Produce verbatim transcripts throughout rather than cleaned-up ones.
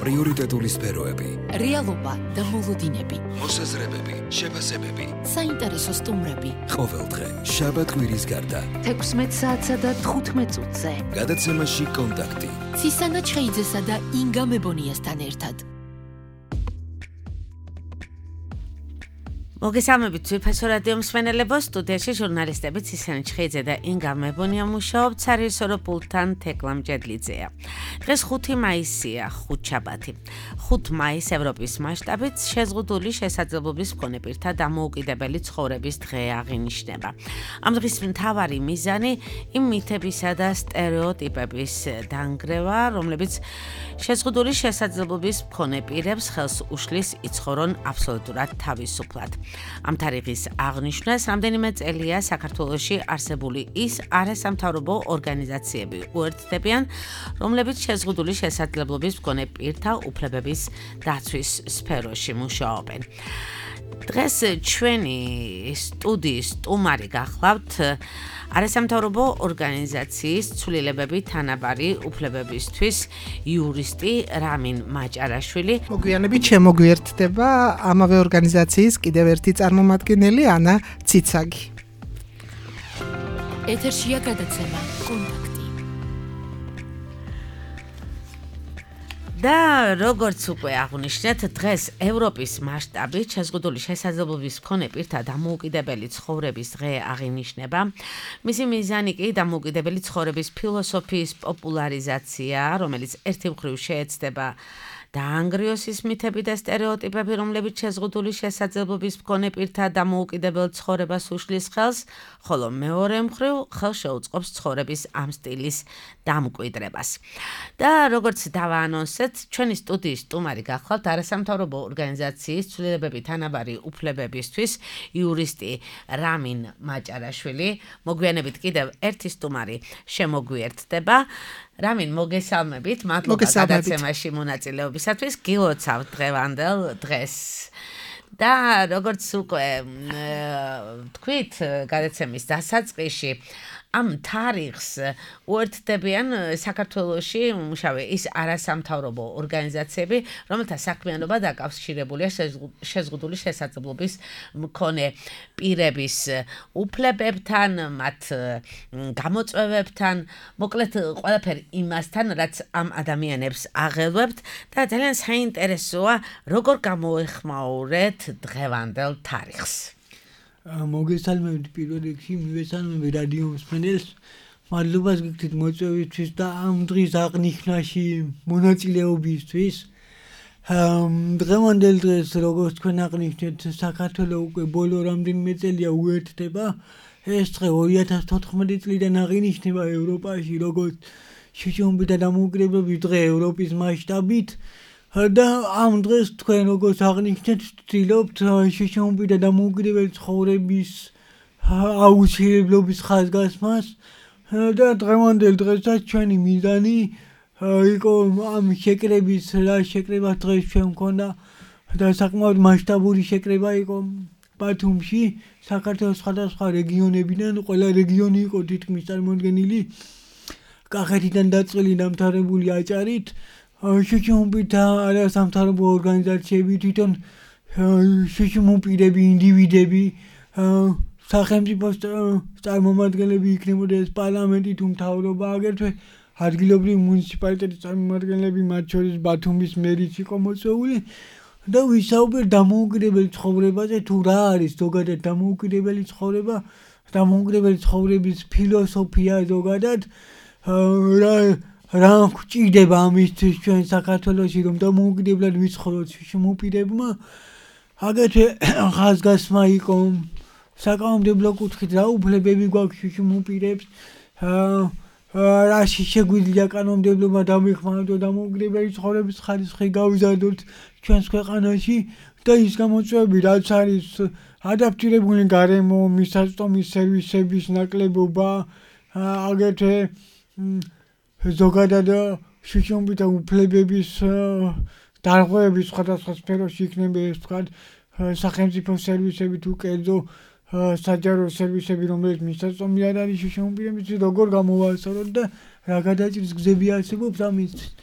პრიორიტეტული სფეროები, რეალობა და მოლოდინები, მოსაზრებები, შეფასებები, საინტერესო სტუმრები. ყოველდღე შაბათ-კვირის გარდა თექვსმეტ საათსა და თხუთმეტ წუთზე. გადაცემაში კონტაქტი. ცისანა ჩხეიძესა და ინგა მებონიასთან ერთად. მოგესალმებით ძვირფასო რადიო მსმენელებო, სტუდიაში ჟურნალისტები ცისანა ჩხეიძე და ინგა მებონია მუშაობთ სარიესორო პულტთან თეკლა მჭედლიძეა. დღეს ხუთი მაისია, ხუთშაბათი. ხუთი მაისი ევროპის მასშტაბით შეზღუდული შესაძლებლობის მქონე პირთა დამოუკიდებელი ცხოვრების დღე აღინიშნება. ამ დღის მთავარი მიზანი იმ მითებისა და სტერეოტიპების დანგრევა, რომლებიც შეზღუდული შესაძლებლობის მქონე პირებს ხელს უშლის იცხოვრონ აბსოლუტურად თავისუფლად. ამ თარიღის აღნიშვნას რამდენიმე წელია საქართველოში არსებული ის არასამთავრობო ორგანიზაციები უერთდებიან, რომლებიც შეზღუდული შესაძლებლობის მქონე პირთა უფლებების დაცვის სფეროში მუშაობენ. დღეს ჩვენი სტუდიის სტუმარი გახლავთ არასამთავრობო ორგანიზაციის ცვლილებები თანაბარი უფლებებისთვის იურისტი რამინ მაჭარაშვილი. მოგვიანებით შემოგვიერთდება ამავე ორგანიზაციის კიდევ ერთი წარმომადგენელი ანა ციცაგი. ეთერშია გადაცემა კონტაქტი. და როგორც უკვე აღნიშნეთ, დღეს ევროპის მასშტაბით შეზღუდული შესაძლებლობის მქონე პირთა დამოუკიდებელი ცხოვრების დღე აღინიშნება. მისი მიზანი კი დამოუკიდებელი ცხოვრების ფილოსოფიის პოპულარიზაცია, რომელიც ერთი მხრივ შეეცდება დაანგრიოს ის მითები და სტერეოტიპები, რომლებიც შეზღუდული შესაძლებლობის მქონე პირთა დამოუკიდებელ ცხოვრებას უშლის ხელს, ხოლო მეორე მხრივ ხელს შეუწყობს ცხოვრების ამ სტილის დამკვიდრებას. და როგორც დავაანონსეთ, ჩვენი სტუდიის სტუმარი გახლავთ არასამთავრობო ორგანიზაციის ცვლილებები თანაბარი უფლებებისთვის იურისტი რამინ მაჭარაშვილი. მოგვიანებით კიდევ ერთი სტუმარი შემოგვიერთდება. რამინ, მოგესალმებით, მადლობა გადაცემაში მონაწილეობისათვის, გილოცავთ დღევანდელ დღეს. და როგორც უკვე თქვით, გადაცემის დასაწყისში ამ თარიღს უერთდებიან საქართველოში მუშავე ის არასამთავრობო ორგანიზაციები, რომელთა საქმიანობა დაკავშირებულია შეზღუდული შესაძლებლობის მქონე პირების უფლებებთან, მათ გამოწვევებთან, მოკლედ ყველაფერი იმასთან, რაც ამ ადამიანებს აღელვებთ და ძალიან საინტერესოა, როგორ გამოეხმაურეთ დღევანდელ თარიღს. მოგესალმებით პირველ რიგში, მივესალმები რადიო მსმენელს. მადლობას გიგდით მოწვევისთვის და ამ დღის აღნიშვნაში მონაწილეობისთვის. დღევანდელ დღეს, როგორც თქვენ აღნიშნეთ, საქართველო უკვე ბოლო რამდენიმე წელია უერთდება. ეს დღე ორი ათას თოთხმეტი წლიდან აღინიშნება ევროპაში, როგორც შიშობი და დამოუკიდებლობის დღე ევროპის მასშტაბით. და ამ დღეს თქვენ როგორც აღნიშნეთ, ვცდილობთ შიშობი და დამოუკიდებელი ცხოვრების აუცილებლობის ხაზგასმას და დღევანდელ დღესაც ჩვენი მიზანი იყო ამ შეკრების რა შეკრებას დღეს ჩვენ მქონდა და საკმაოდ მასშტაბური შეკრება იყო ბათუმში, საქართველოს სხვადასხვა რეგიონებიდან, ყველა რეგიონი იყო თითქმის წარმოდგენილი კახეთიდან დაწყილი დამთავრებული აჭარით. შიშობი და არასამთავრობო ორგანიზაციები თვითონ შიშობპირები, ინდივიდები, სახელმწიფო წარმომადგენლები იქნებოდა ეს პარლამენტი თუ მთავრობა, აგრეთვე ადგილობრივი მუნიციპალიტეტის წარმომადგენლები, მათ შორის ბათუმის მერიც იყო მოწვეული და ვისაუბრეთ დამოუკიდებელი ცხოვრებაზე, თუ რა არის ზოგადად დამოუკიდებელი ცხოვრება, დამოუკიდებელი ცხოვრების ფილოსოფია ზოგადად, რა რა გვჭირდება ამისთვის ჩვენ საქართველოში, რომ დამოუკიდებლად ვიცხოვროთ შიშობპირებმა. აგრეთვე ხაზგასმა იყო საკანონმდებლო კუთხით რა უფლებები გვაქვს შიშობპირებს, რა შეგვიძლია კანონმდებლობა დავიხმაროთ დამოუკიდებელი ცხოვრების ხარისხი გავიზარდოთ ჩვენს ქვეყანაში და ის გამოწვევები, რაც არის ადაპტირებული გარემო, მისაწვდომი სერვისების ნაკლებობა, აგრეთვე ზოგადად შიშობითა უფლებების დარღვევების სხვადასხვა სფეროში იქნება ეს თქვათ სახელმწიფო სერვისები თუ კერძო საჯარო სერვისები, რომელიც მისაწვდომი არ არის შიშობირებისთვის, როგორ გამოვასწოროთ და რა გადაჭრის გზები არსებობს ამისთვის.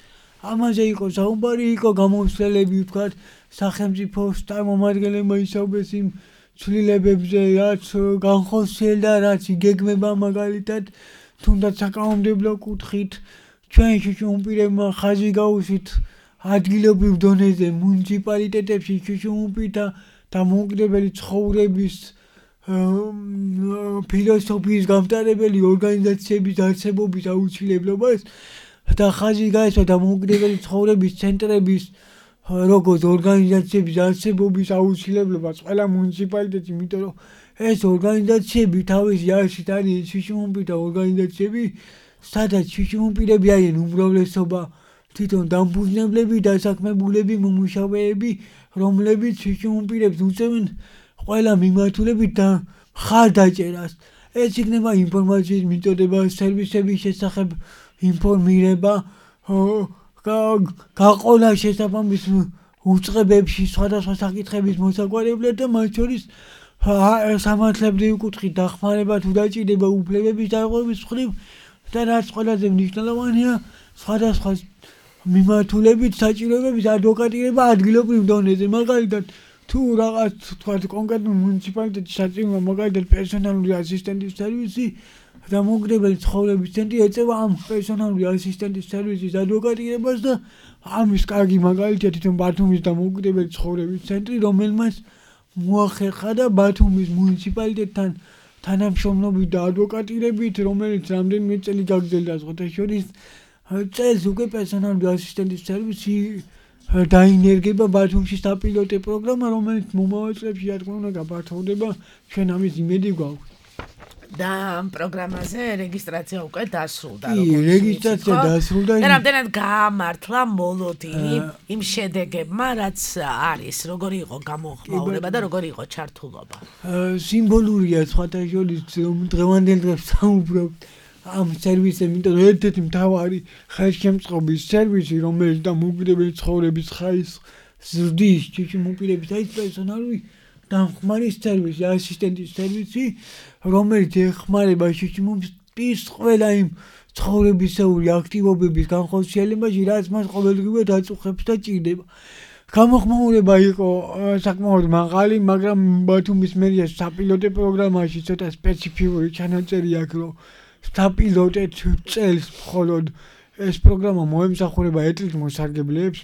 ამაზე იყო საუბარი, იყო გამომცემლები ვთქვათ, სახელმწიფო წარმომადგენლებმა ისაუბრეს იმ ცვლილებებზე, რაც განხორციელდა, რაც იგეგმება მაგალითად, თუნდაც საკანონმდებლო კუთხით, ჩვენ შიშუმპირებმა ხაზი გაუსვით ადგილობრივ დონეზე მუნიციპალიტეტებში შიშუმპირთა დამოუკიდებელი ცხოვრების ფილოსოფიის გამტარებელი ორგანიზაციების არსებობის აუცილებლობას და ხაზი გაესვა დამოუკიდებელი ცხოვრების ცენტრების როგორც ორგანიზაციების არსებობის აუცილებლობას ყველა მუნიციპალიტეტში, იმიტომ რომ ეს ორგანიზაციები თავისი არსით არის შიშუმპირთა ორგანიზაციები, სადაც შიშუმპირები არიან უმრავლესობა თვითონ დამფუძნებლები, დასაქმებულები, მომუშავეები, რომლებიც შიშუმპირებს უწევენ ყველა მიმართულებით და მხარდაჭერას. ეს იქნება ინფორმაციის მიწოდება, სერვისების შესახებ ინფორმირება, გაყოლა შესაბამის უწყებებში სხვადასხვა საკითხების მოსაგვარებლად და მათ შორის სამართლებრივი კუთხით დახმარება თუ დაჭირდება უფლებების დარღვევის მხრივ და რაც ყველაზე მნიშვნელოვანია, სხვადასხვა მიმართულებით საჭიროებების ადვოკატირება ადგილობრივ დონეზე. მაგალითად, თუ რაღაც თქვათ კონკრეტულ მუნიციპალიტეტში საჭიროა მაგალითად პერსონალური ასისტენტის სერვისი, დამოუკიდებელი ცხოვრების ცენტრი ეწევა ამ პერსონალური ასისტენტის სერვისის ადვოკატირებას და ამის კარგი მაგალითია თვითონ ბათუმის დამოუკიდებელი ცხოვრების ცენტრი, რომელმაც მოახერხა და ბათუმის მუნიციპალიტეტთან თანამშრომლობით და ადვოკატირებით, რომელიც რამდენიმე წელი გაგრძელდა სხვათა შორის, წელს უკვე პერსონალური ასისტენტის სერვისი დაინერგება ბათუმში საპილოტო პროგრამა, რომელიც მომავალ წლებში რა თქმა უნდა გაფართოვდება, ჩვენ ამის იმედი გვაქვს. და ამ პროგრამაზე რეგისტრაცია უკვე დასრულდა. კი, რეგისტრაცია დასრულდა. და რამდენად გაამართლა მოლოდინი იმ შედეგებმა, რაც არის, როგორი იყო გამოხმაურება და როგორი იყო ჩართულობა. სიმბოლურია სხვათა შორის დღევანდელ დღეს საუბრობთ ამ სერვისზე, იმიტომ რომ ერთ-ერთი მთავარი ხელშემწყობის სერვისი, რომელიც დამოუკიდებელი ცხოვრების ხარისხს ზრდის შიშუმპირების აი პერსონალური დამხმარის სერვისი, ასისტენტის სერვისი, რომელიც ეხმარება შიშუმპირს ყველა იმ ცხოვრებისეული აქტივობების განხორციელებაში, რაც მას ყოველდღიურად აწუხებს და ჭირდება. გამოხმაურება იყო საკმაოდ მაღალი, მაგრამ ბათუმის მერიას საპილოტო პროგრამაში ცოტა სპეციფიკური ჩანაწერი აქვს, რომ საპილოტეთ წელს მხოლოდ ეს პროგრამა მოემსახურება ეთნიკ მოსარგებლეებს,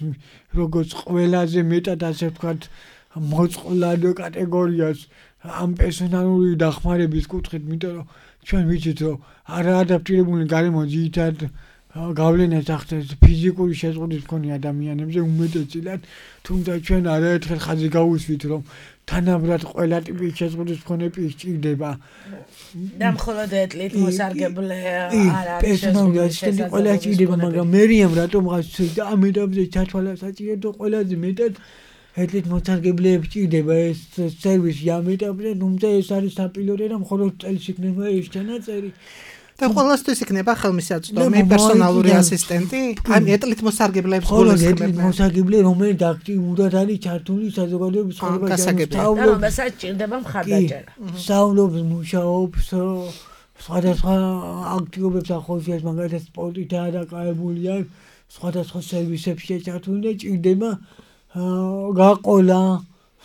როგორც ყველაზე მეტად ასე ვთქვათ მოწყვლად კატეგორიას ამ პერსონალური დახმარების კუთხით, იმიტომ რომ ჩვენ ვიცით, რომ არაადაპტირებული გარემო ძირითადად გავლენას ახდენს ფიზიკური შეზღუდვის მქონე ადამიანებზე უმეტესწილად, თუმცა ჩვენ არაერთხელ ხაზი გავუსვით, რომ თანაბრად ყველა ტიპის შეზღუდვის მქონე პირს ჭირდება. და მხოლოდ ეთლით მოსარგებლე არ არის პერსონალური ასისტენტი ყველა ჭირდება, მაგრამ მერიამ რატომღაც და ამ ეტაპზე ჩათვალა საჭირო ყველაზე მეტად ეთლით მოსარგებლეებს ჭირდება ეს სერვისი ამ ეტაპზე, თუმცა ეს არის საპილოტო და მხოლოდ წელს იქნება ეს ჩანაწერი. და ყველასთვის იქნება ხელმისაწვდომი პერსონალური ასისტენტი, აი ეთლით მოსარგებლეებს მხოლოდ ეთლით მოსარგებლე, რომელიც აქტიურად არის ჩართული საზოგადოების ცხოვრებაში, რომელსაც ჭირდება მხარდაჭერა. სწავლობს, მუშაობს, სხვადასხვა აქტივობებს ახორციელებს, მაგალითად სპორტითაა დაკავებული, სხვადასხვა სერვისებში ჩართული და ჭირდება გაყოლა,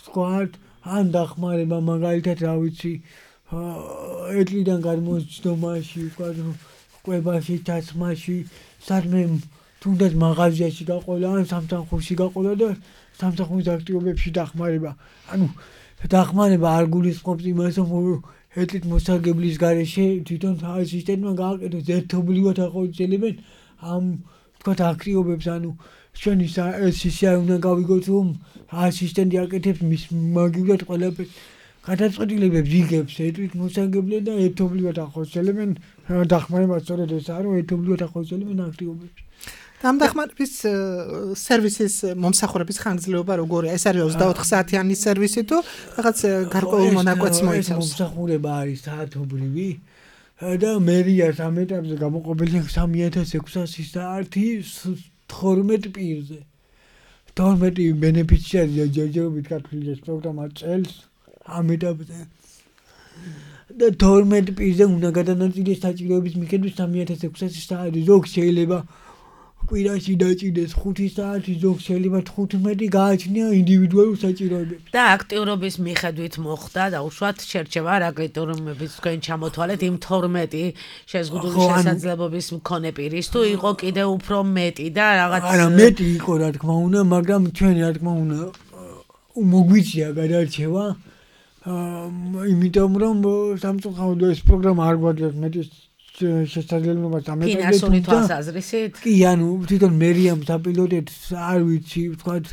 ვთქვათ, ან დახმარება, მაგალითად, რა ვიცი, ეთლიდან გადმოსცდომაში, ვთქვათ, კვებაში, ჩაცმაში, სადმე თუნდაც მაღაზიაში გაყოლა, ან სამსახურში გაყოლა და სამსახურის აქტივობებში დახმარება. ანუ დახმარება არ გულისხმობს იმას, რომ ეთლით მოსარგებლის გარეშე თვითონ ასისტენტმა გააკეთოს ერთობლივად ახორციელებენ ამ ვთქვათ აქტივობებს, ანუ ჩვენ ის ისე არ უნდა გავიგოთ, რომ ასისტენტი აკეთებს მის მაგივრად ყველაფერს. გადაწყვეტილებებს იღებს ეთლით მოსარგებლე და ერთობლივად ახორციელებენ დახმარებას, სწორედ ესაა, რომ ერთობლივად ახორციელებენ აქტივობებს. და ამ დახმარების სერვისის მომსახურების ხანგრძლივობა როგორია? ეს არის ოცდაოთხ საათიანი სერვისი თუ რაღაც გარკვეულ მონაკვეთს მოიცავს? მომსახურება არის საათობრივი და მერიას ამ ეტაპზე გამოყოფილი სამი ათას ექვსასი საათი თორმეტ პირზე. თორმეტი ბენეფიციარია ჯერჯერობით გათვლილი ეს პროგრამა წელს ამ ეტაპზე. და თორმეტ პირზე უნდა გადანაწილდეს საჭიროების მიხედვით სამი ათას ექვსასი საათი. ზოგ შეიძლება კვირაში დაჭიდეს ხუთი საათი, ზოგ შეიძლება თხუთმეტი გააჩნია ინდივიდუალურ საჭიროებებს. და აქტიურობის მიხედვით მოხდა და უშუალოდ შერჩევა რა კრიტერიუმებით თქვენ ჩამოთვალეთ იმ თორმეტი შეზღუდული შესაძლებლობის მქონე პირის თუ იყო კიდე უფრო მეტი და რაღაც არა მეტი იყო რა თქმა უნდა, მაგრამ ჩვენ რა თქმა უნდა მოგვიწია გადარჩევა. იმიტომ რომ სამწუხაროდ ეს პროგრამა არ გვაძლევს მეტი შესაძლებლობას ამეტყველებს. ფინანსური თვალსაზრისით? კი, ანუ თვითონ მერიამ საპილოტეთს არ ვიცი, ვთქვათ,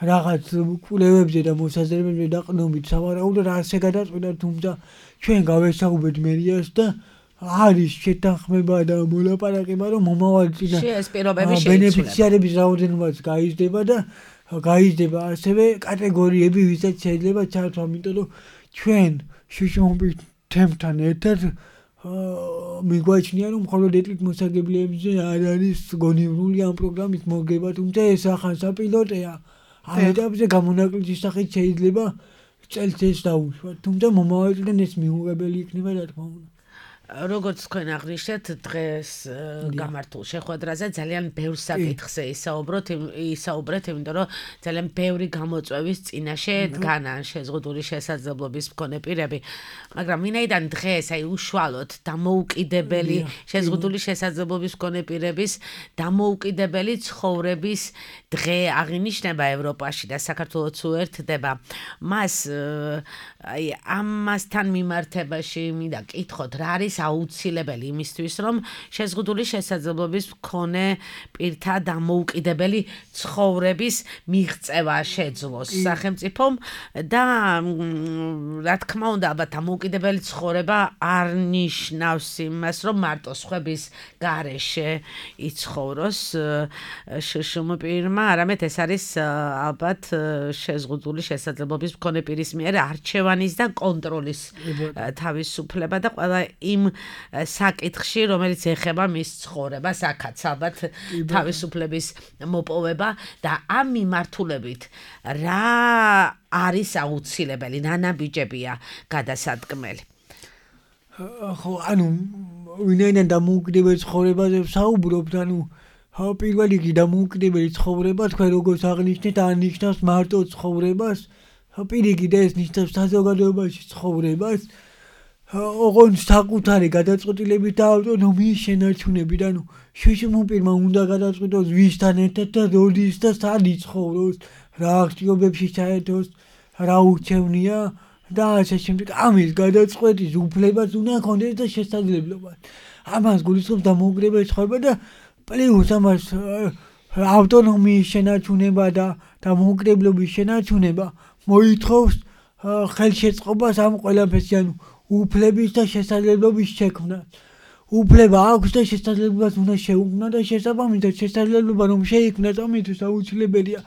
რაღაც კვლევებზე და მოსაზრებებზე დაყრდნობით სავარაუდოდ ასე გადაწყვიტა, თუმცა ჩვენ გავესაუბრეთ მერიას და არის შეთანხმება და მოლაპარაკება, რომ მომავალ წინა ეს პირობები შეიცვლება. ბენეფიციარების რაოდენობაც გაიზრდება და გაიზრდება ასევე კატეგორიები, ვისაც შეიძლება ჩართვა, იმიტომ რომ ჩვენ შუშუმობის თემთან ერთად მიგვაჩნია, რომ მხოლოდ ეთნიკ მოსაგებლეებზე არ არის გონივრული ამ პროგრამის მოგება, თუმცა ეს ახალ საპილოტეა. ამ ეტაპზე გამონაკლისის სახით შეიძლება წელს ეს დაუშვათ, თუმცა მომავალიდან ეს მიუღებელი იქნება რა თქმა უნდა. როგორც თქვენ აღნიშნეთ, დღეს გამართულ შეხვედრაზე ძალიან ბევრ საკითხზე ისაუბროთ, ისაუბრეთ, იმიტომ რომ ძალიან ბევრი გამოწვევის წინაშე დგანან შეზღუდული შესაძლებლობის მქონე პირები. მაგრამ ვინაიდან დღეს აი უშუალოდ დამოუკიდებელი შეზღუდული შესაძლებლობის მქონე პირების დამოუკიდებელი ცხოვრების დღე აღინიშნება ევროპაში და საქართველოც უერთდება. მას აი ამასთან მიმართებაში მინდა კითხოთ, რა არის აუცილებელი იმისთვის, რომ შეზღუდული შესაძლებლობის მქონე პირთა დამოუკიდებელი ცხოვრების მიღწევა შეძლოს სახელმწიფომ და რა თქმა უნდა, აბა დამოუკიდებელი ცხოვრება არ ნიშნავს იმას, რომ მარტო სხვების გარეშე იცხოვროს შშმ პირმა, არამედ ეს არის ალბათ შეზღუდული შესაძლებლობის მქონე პირის მიერ არჩევანის და კონტროლის თავისუფლება და ყველა იმ საკითხში, რომელიც ეხება მის ცხოვრებას, აქაც ალბათ თავისუფლების მოპოვება და ამ მიმართულებით რა არის აუცილებელი, ნანაბიჯებია გადასადგმელი. ხო, ანუ ვინაიდან დამოუკიდებელი ცხოვრებაზე ვსაუბრობთ, ანუ პირველ რიგში დამოუკიდებელი ცხოვრება თქვენ როგორც აღნიშნეთ, არ ნიშნავს მარტო ცხოვრებას, პირიქით ეს ნიშნავს საზოგადოებაში ცხოვრებას. ოღონდ საკუთარი გადაწყვეტილებით და ავტონომიის შენარჩუნებით, ანუ შუშუმ პირმა უნდა გადაწყვიტოს ვისთან ერთად და როდის და სად იცხოვროს, რა აქტივობებში ჩაერთოს, რა უჩევნია და ასე შემდეგ. ამის გადაწყვეტის უფლებას უნდა ჰქონდეს და შესაძლებლობა. ამას გულისხმობს დამოუკიდებელი ცხოვრება და პლუს ამას ავტონომიის შენარჩუნება და დამოუკიდებლობის შენარჩუნება მოითხოვს ხელშეწყობას ამ ყველაფერში, ანუ უფლების და შესაძლებლობის შექმნა. უფლება აქვს და შესაძლებლობას უნდა შეუქმნა და შესაბამისად შესაძლებლობა რომ შეიქმნას ამისთვის აუცილებელია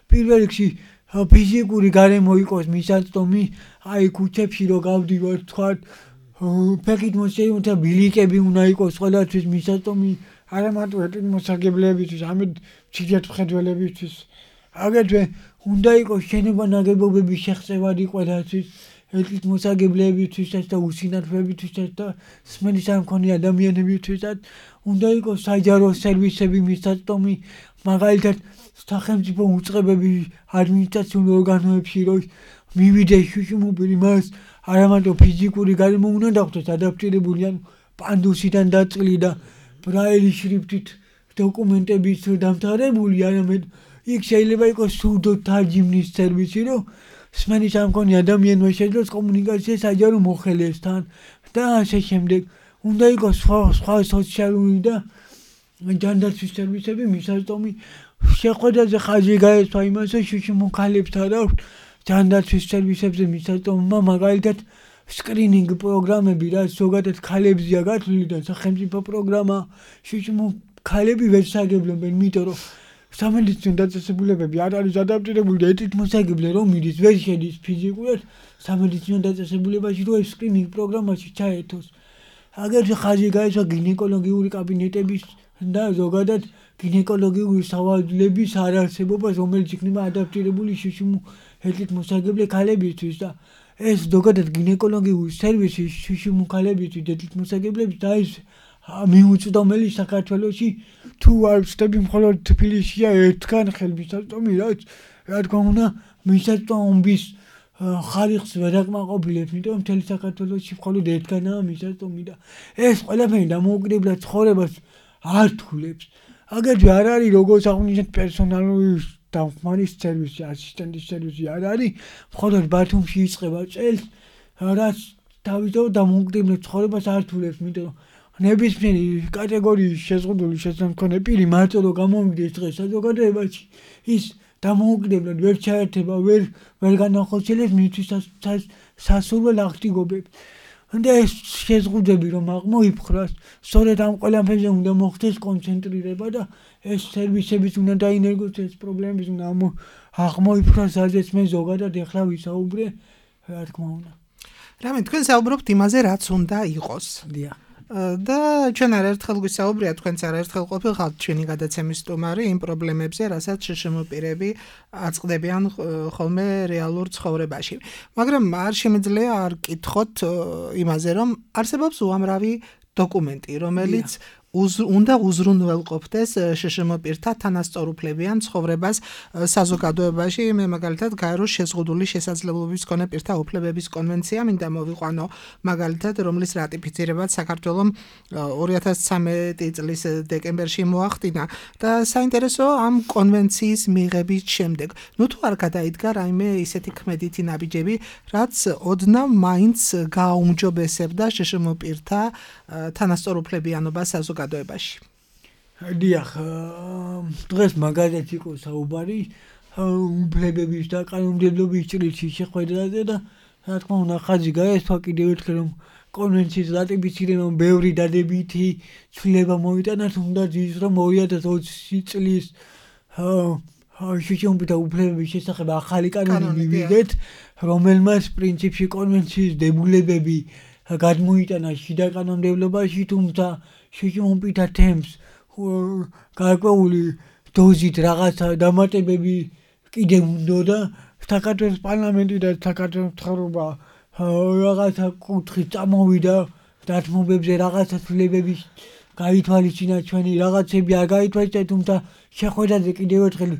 პირველ რიგში ფიზიკური გარემო იყოს მისაწვდომი, აი ქუჩებში რო გავდივართ, თქვა ფეხით მოსეიმთა ბილიკები უნდა იყოს ყველასთვის მისაწვდომი, არა მარტო ეთნიკ მოსაგებლებისთვის, ამით მცირედ მხედველებისთვის. აგრეთვე უნდა იყოს შენობა ნაგებობების შეხსევადი ყველასთვის, ეთნიკ მოსაგებლებისთვისაც და უსინათლოებისთვისაც და სმენის არ მქონე ადამიანებისთვისაც. უნდა იყოს საჯარო სერვისები მისაწვდომი, მაგალითად სახელმწიფო უწყებები ადმინისტრაციულ ორგანოებში რო მივიდეს შუშუმ პირი, მას არა მარტო ფიზიკური გარემო უნდა დახვდეს ადაპტირებული, ანუ პანდუსიდან დაწყილი და ბრაილის შრიფტით დოკუმენტების დამთავრებული, არამედ იქ შეიძლება იყოს სურდო თარჯიმნის სერვისი, რომ სმენის არ მქონე ადამიანმა შეძლოს კომუნიკაცია საჯარო მოხელესთან და ასე შემდეგ. უნდა იყოს სხვა სხვა სოციალური და ჯანდაცვის სერვისები მისაწვდომი. შეხვედრაზე ხაზი გაესვა იმას, რომ შუშუმ ქალებს არ აქვს ჯანდაცვის სერვისებზე მისაწვდომობა, მაგალითად სკრინინგ პროგრამები, რაც ზოგადად ქალებზეა გათვლილი და სახელმწიფო პროგრამა, შუშუმ ქალები ვერ საგებლობენ, იმიტომ რომ სამედიცინო დაწესებულებები არ არის ადაპტირებული და ეთნიკ მოსაგებლე რომ მიდის ვერ შედის ფიზიკურად სამედიცინო დაწესებულებაში, რომ ეს სკრინინგ პროგრამაში ჩაერთოს. აგრეთვე ხაზი გაესვა გინეკოლოგიური კაბინეტების და ზოგადად გინეკოლოგიური სავალდლების არარსებობას, რომელიც იქნება ადაპტირებული შუშუმ ეთნიკ მოსაგებლე ქალებისთვის და ეს ზოგადად გინეკოლოგიური სერვისი შუშუმ ქალებისთვის ეთნიკ მოსაგებლებს და ეს მიუწვდომელი საქართველოში თუ არ ვწდები მხოლოდ თბილისშია ერთგან ხელმისაწვდომი რაც რა თქმა უნდა მისაწვდომის ხარისხს ვერ აკმაყოფილებს, იმიტომ რომ მთელი საქართველოში მხოლოდ ერთგანაა მისაწვდომი და ეს ყველაფერი დამოუკიდებლად ცხოვრებას არ თვლებს. აგრეთვე არ არის როგორც აღნიშნეთ პერსონალური დამხმარის სერვისი, ასისტენტის სერვისი არ არის, მხოლოდ ბათუმში იწყება წელს, რაც თავისთავად დამოუკიდებლად ცხოვრებას არ თვლებს, იმიტომ რომ ნებისმიერი კატეგორიის შეზღუდული შესამქონე პირი მარტო რომ გამომიგდეს დღეს საზოგადოებაში, ის დამოუკიდებლად ვერ ჩაერთება, ვერ ვერ განახორციელებს მისთვის სასურველ აღსტიგობებს. და ეს შეზღუდვები რომ აღმოიფხრას, სწორედ ამ ყველაფერზე უნდა მოხდეს კონცენტრირება და ეს სერვისების უნდა დაინერგოს, ეს პრობლემების უნდა აღმოიფხრას, რაზეც მე ზოგადად ეხლა ვისაუბრე, რა თქმა უნდა. რამე თქვენ საუბრობთ იმაზე, რაც უნდა იყოს. დიახ. და ჩვენ არაერთხელ გვისაუბრია, თქვენც არაერთხელ ყოფილიყავთ ჩვენი გადაცემის სტუმარი იმ პრობლემებზე, რასაც შშმ პირები აწყდებიან ხოლმე რეალურ ცხოვრებაში. მაგრამ არ შემიძლია არ კითხოთ იმაზე, რომ არსებობს უამრავი დოკუმენტი, რომელიც უნდა უზრუნველყოფდეს შშმ პირთა თანასწორუფლებიან ცხოვრებას საზოგადოებაში. მე მაგალითად გაეროს შეზღუდული შესაძლებლობის მქონე პირთა უფლებების კონვენცია მინდა მოვიყვანო, მაგალითად, რომლის რატიფიცირებაც საქართველომ ორი ათას ცხრამეტი წლის დეკემბერში მოახდინა და საინტერესოა ამ კონვენციის მიღების შემდეგ. ნუ თუ არ გადაიდგა რაიმე ისეთი ქმედითი ნაბიჯები, რაც ოდნავ მაინც გააუმჯობესებდა შშმ პირთა თანასწორუფლებიანობას საზოგადოებაში. დიახ, დღეს მაგალითად იყო საუბარი უფლებების და კანონმდებლობის ჭრილში შეხვედრაზე და რა თქმა უნდა ხაზი გაესვა კიდევ ერთხელ რომ კონვენციის რატიფიცირებამ ბევრი დადებითი ცვლილება მოიტანა, თუნდაც ის რომ ორი ათას ოცი წლის შშმ პირთა უფლებების შესახებ ახალი კანონი მივიღეთ, რომელმაც პრინციპში კონვენციის დებულებები გადმოიტანა შიდა კანონმდებლობაში, თუმცა შშმ პირთა თემს გარკვეული დოზით რაღაცა დამატებები კიდევ უნდოდა. საქართველოს პარლამენტი და საქართველოს მთავრობა რაღაცა კუთხით წამოვიდა დათმობებზე, რაღაცა ცვლილებების გაითვალისწინა, ჩვენი რაღაცები არ გაითვალისწინა, თუმცა შეხვედრაზე კიდევ ერთხელ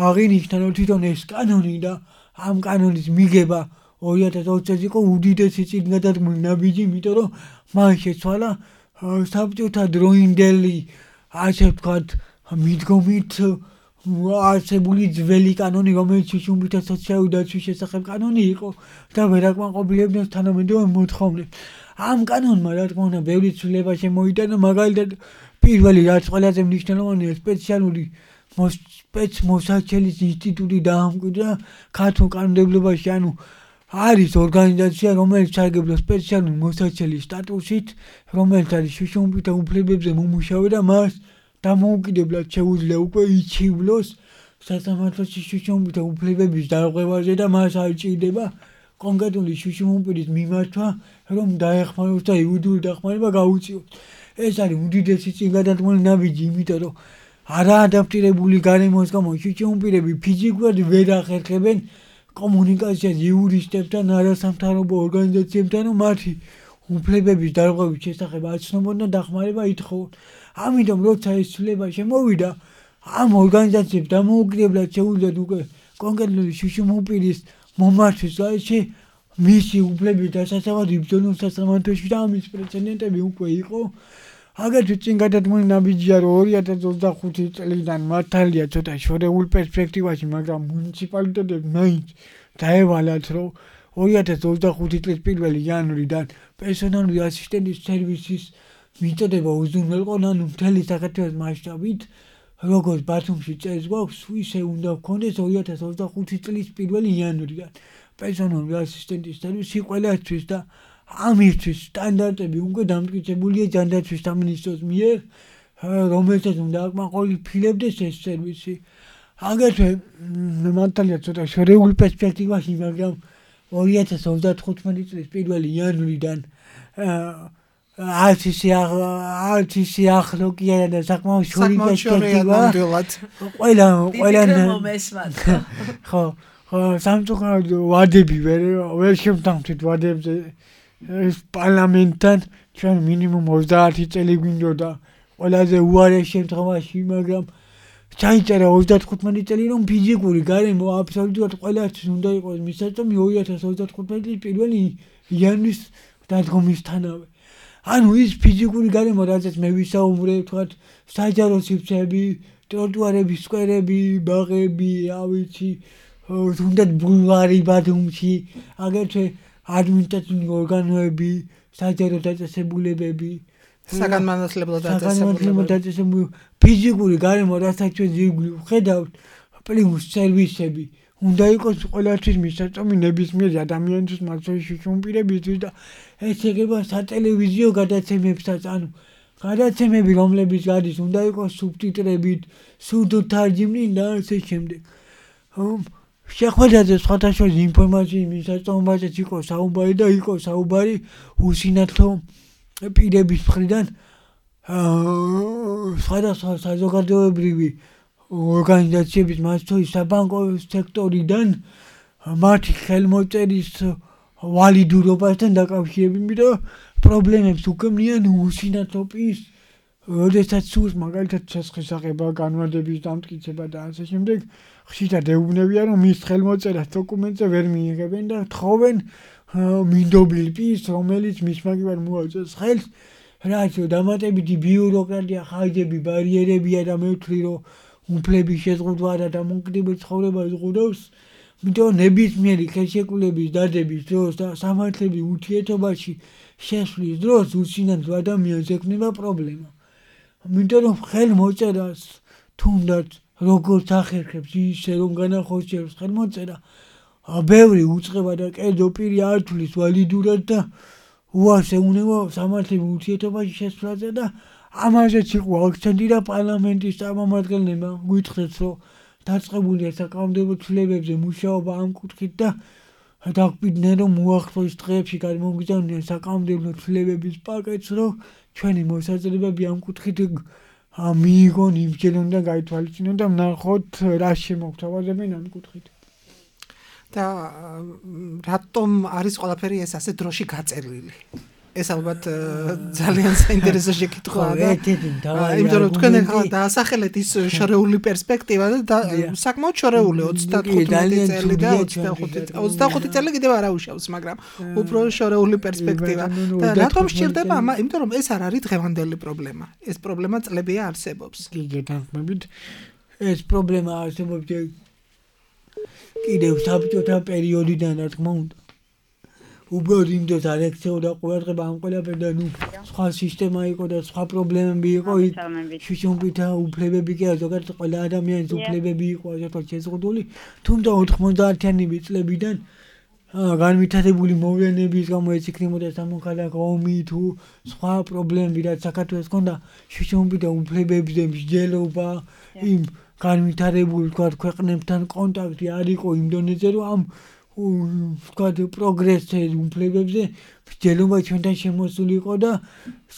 აღინიშნა, რომ თვითონ ეს კანონი და ამ კანონის მიღება ორი ათას ოცი წელს იყო უდიდესი წინგადადგმული ნაბიჯი, იმიტომ რომ მან შეცვალა საბჭოთა დროინდელი, ასე ვთქვათ, მიდგომით არსებული ძველი კანონი, რომელიც შშმ პირთა სოციალური დაცვის შესახებ კანონი იყო და ვერ აკმაყოფილებდა თანამედროვე მოთხოვნებს. ამ კანონმა, რა თქმა უნდა, ბევრი ცვლილება შემოიტანა, მაგალითად, პირველი რაც ყველაზე მნიშვნელოვანია, სპეციალური სპეცმოსაჩელის ინსტიტუტი დაამკვიდრა ქართულ კანონმდებლობაში, ანუ არის ორგანიზაცია, რომელიც სარგებლობს სპეციალური მოსაჩელის სტატუსით, რომელიც არის შშმ პირთა უფლებებზე მომუშავე და მას დამოუკიდებლად შეუძლია უკვე იჩივლოს სასამართლოში შშმ პირთა უფლებების დარღვევაზე და მას არ ჭირდება კონკრეტული შშმ პირის მიმართვა, რომ დაეხმაროს და იურიდიული დახმარება გაუწიოს. ეს არის უდიდესი წინგადადგმული ნაბიჯი, იმიტომ რომ არაადაპტირებული გარემოს გამო შშმ პირები ფიზიკურად ვერ ახერხებენ კომუნიკაციას იურისტებთან, არასამთავრობო ორგანიზაციებთან, რომ მათი უფლებების დარღვევის შესახებ აცნობონ და დახმარება ითხოვონ. ამიტომ როცა ეს ცვლილება შემოვიდა, ამ ორგანიზაციებს დამოუკიდებლად შეუძლიათ უკვე კონკრეტული შშმ პირის მომართვის გარეშე მისი უფლების დასაცავად იბრძოლონ სასამართლოში და ამის პრეცედენტები უკვე იყო. აგრეთვე წინგადადგმული ნაბიჯია, რომ ორი ათას ოცდახუთი წლიდან მართალია ცოტა შორეულ პერსპექტივაში, მაგრამ მუნიციპალიტეტებს მაინც დაევალათ, რომ ორი ათას ოცდახუთი წლის პირველი იანვრიდან პერსონალური ასისტენტის სერვისის მიწოდება უზრუნველყონ, ანუ მთელი საქართველოს მასშტაბით, როგორც ბათუმში წერს გვაქვს, ისე უნდა გქონდეს ორი ათას ოცდახუთი წლის პირველი იანვრიდან პერსონალური ასისტენტის სერვისი ყველასთვის და ამისთვის სტანდარტები უკვე დამტკიცებულია ჯანდაცვის სამინისტროს მიერ, რომელსაც უნდა აკმაყოფილებდეს ეს სერვისი. აგრეთვე მართალია ცოტა შორეულ პერსპექტივაში, მაგრამ ორი ათას ოცდათხუთმეტი წლის პირველი იანვრიდან არც ისე ახლო კი არა და საკმაოდ შორი პერსპექტივა. ყველა ყველა ხო, სამწუხაროდ ვადები ვერ ვერ შემთანხმდით ვადებზე ეს პარლამენტთან ჩვენ მინიმუმ ოცდაათი წელი გვინდოდა ყველაზე უარეს შემთხვევაში, მაგრამ ჩაიწერა ოცდათხუთმეტი წელი, რომ ფიზიკური გარემო აბსოლუტურად ყველასთვის უნდა იყოს მისაწვდომი ორი ათას ოცდათხუთმეტი წლის პირველი იანვრის დადგომისთანავე. ანუ ის ფიზიკური გარემო, რაზეც მე ვისაუბრე, თქვათ, საჯარო სივრცეები, ტროტუარები, სკვერები, ბაღები, რა ვიცი, თუნდაც ბულვარი ბათუმში, აგრეთვე ადმინისტრაციული ორგანოები, საჯარო დაწესებულებები, საგანმანათლებლო დაწესებულებები, ფიზიკური გარემო, რასაც ჩვენ ზირგვლივ ვხედავთ, პლუს სერვისები, უნდა იყოს ყველასთვის მისაწვდომი ნებისმიერი ადამიანისთვის, მათ შორის შიშუმპირებისთვის და ეს ეხება სატელევიზიო გადაცემებსაც, ანუ გადაცემები, რომლებიც გადის, უნდა იყოს სუბტიტრებით, სურდთარჯიმნით და ასე შემდეგ. შეხვედრაზე სხვადასხვა ინფორმაციის მისაწვდომობაზეც იყო საუბარი და იყო საუბარი უსინათლო პირების მხრიდან სხვადასხვა საზოგადოებრივი ორგანიზაციების, მათ შორის საბანკო სექტორიდან მათი ხელმოწერის ვალიდურობასთან დაკავშირებით და პრობლემებს უქმნიან უსინათლო პირს, როდესაც სურს მაგალითად შესახება, განმარტების დამტკიცება და ასე შემდეგ, ხშირად ეუბნებიან, რომ მის ხელმოწერას დოკუმენტზე ვერ მიიღებენ და თხოვენ მინდობილ პირს, რომელიც მის მაგივარ მოაწეს ხელს, რაც დამატებითი ბიუროკრატია, ხარჯები, ბარიერებია და მე ვთვლი, რომ უფლების შეზღუდვა და დამოუკიდებელ ცხოვრებას ზღუდავს, იმიტომ ნებისმიერი ხელშეკრულების დადების დროს და სამართლების ურთიერთობაში შესვლის დროს უსინათლო ადამიანს ექმნება პრობლემა. იმიტომ რომ ხელმოწერას თუნდაც როგორც ახერხებს ისე რომ განახორციელოს ხელმოწერა, ბევრი უწყება და კერძო პირი არ თulis ვალიდურად და უარს ეუბნება სამართლების ურთიერთობაში შესვლაზე და ამაზეც იყო აქცენტი და პარლამენტის წარმომადგენლებმა გითხრათ, რომ დაწყებულია საკანონმდებლო ცვლილებებზე მუშაობა ამ კუთხით და დაგვიდნენ, რომ უახლოეს დღეებში გადმოგიზავნიან საკანონმდებლო ცვლილებების პაკეტს, რომ ჩვენი მოსაზრებები ამ კუთხით მიიღონ, იმსჯელონ და გაითვალისწინონ და ვნახოთ რა შემოგთავაზებენ ამ კუთხით. და რატომ არის ყველაფერი ეს ასე დროში გაწერილი? ეს ალბათ ძალიან საინტერესო შეკითხვაა და იმიტომ რომ თქვენ ახლა დაასახელეთ ის შორეული პერსპექტივა და საკმაოდ შორეული ოცდათხუთმეტი წელი და ოცდახუთი წელი კიდევ არ აუშავს, მაგრამ უფრო შორეული პერსპექტივა და რატომ სჭირდება ამა, იმიტომ რომ ეს არ არის დღევანდელი პრობლემა. ეს პრობლემა წლებია არსებობს. კი, გეთანხმებით. ეს პრობლემა არსებობს კიდევ საბჭოთა პერიოდიდან, რა თქმა უნდა. უბრალოდ იმ დროს არ ექცეოდა ყურადღება ამ ყველაფერთან, ნუ სხვა სისტემა იყო და სხვა პრობლემები იყო, შუშუმპირთა უფლებები კი არა, ზოგადად ყველა ადამიანის უფლებები იყო ასე შეზღუდული, თუმცა ოთხმოცდაათიანები წლებიდან განვითარებული მოვლენების გამო ეს იქნებოდა სამოქალაქო ომი თუ სხვა პრობლემები, რაც საქართველოს ჰქონდა შუშუმპირთა უფლებებზე მსჯელობა, იმ განვითარებულ ქვეყნებთან კონტაქტი არ იყო იმ დონეზე, რომ ამ ვთქვათ პროგრესის უფლებებზე მსჯელობა ჩვენთან შემოსული იყო და